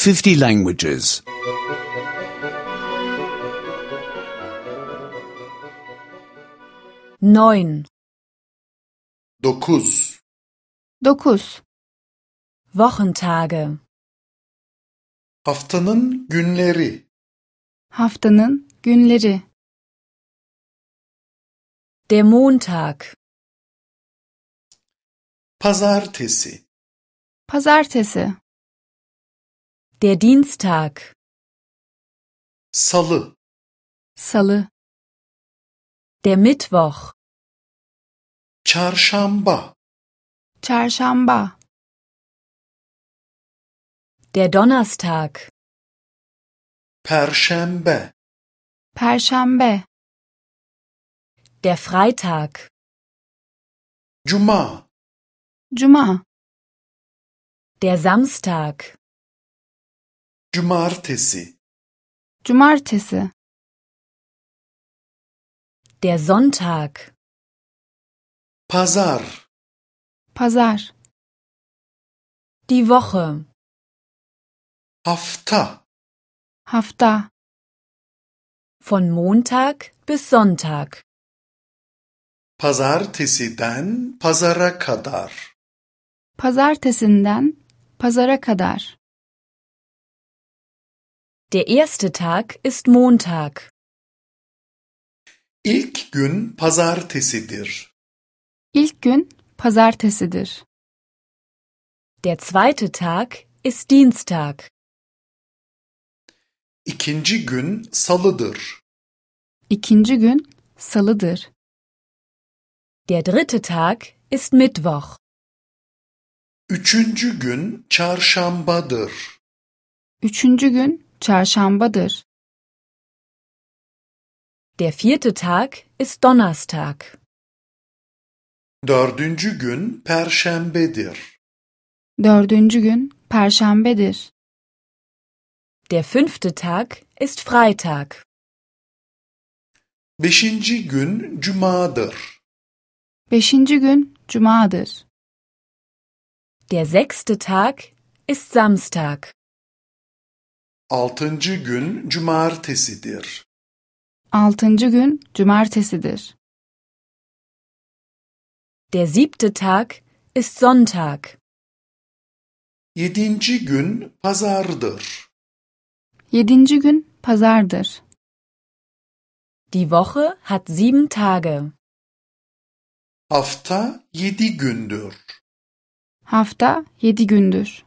50 languages. 9. 9. 9. Wochentage. Haftanın günleri. Haftanın günleri. Der Montag. Pazartesi. Pazartesi. Der Dienstag. Salı. Salı. Der Mittwoch. Çarşamba. Çarşamba. Der Donnerstag. Perşembe. Perşembe. Der Freitag. Cuma. Cuma. Der Samstag. Cumartesi. Cumartesi. Der Sonntag. Pazar. Pazar. Die Woche. Hafta. Hafta. Von Montag bis Sonntag. Pazartesiden pazara kadar. Pazartesinden pazara kadar. Der erste Tag ist Montag. İlk gün pazartesidir. İlk gün pazartesidir. Der zweite Tag ist Dienstag. İkinci gün salıdır. İkinci gün salıdır. Der dritte Tag ist Mittwoch. Üçüncü gün çarşambadır. Üçüncü gün çarşambadır. Der vierte Tag ist Donnerstag. Dördüncü gün perşembedir. Dördüncü gün perşembedir. Der fünfte Tag ist Freitag. Beşinci gün cumadır. Beşinci gün cumadır. Der sechste Tag ist Samstag. Altıncı gün cumartesidir. Altıncı gün cumartesidir. Der siebte Tag ist Sonntag. Yedinci gün pazardır. Yedinci gün pazardır. Die Woche hat 7 Tage. Hafta 7 gündür. Hafta 7 gündür.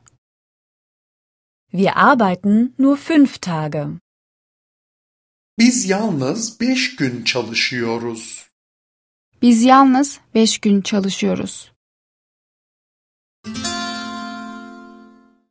Wir arbeiten nur 5 Tage. Biz yalnız 5 gün çalışıyoruz. Biz yalnız 5 gün çalışıyoruz.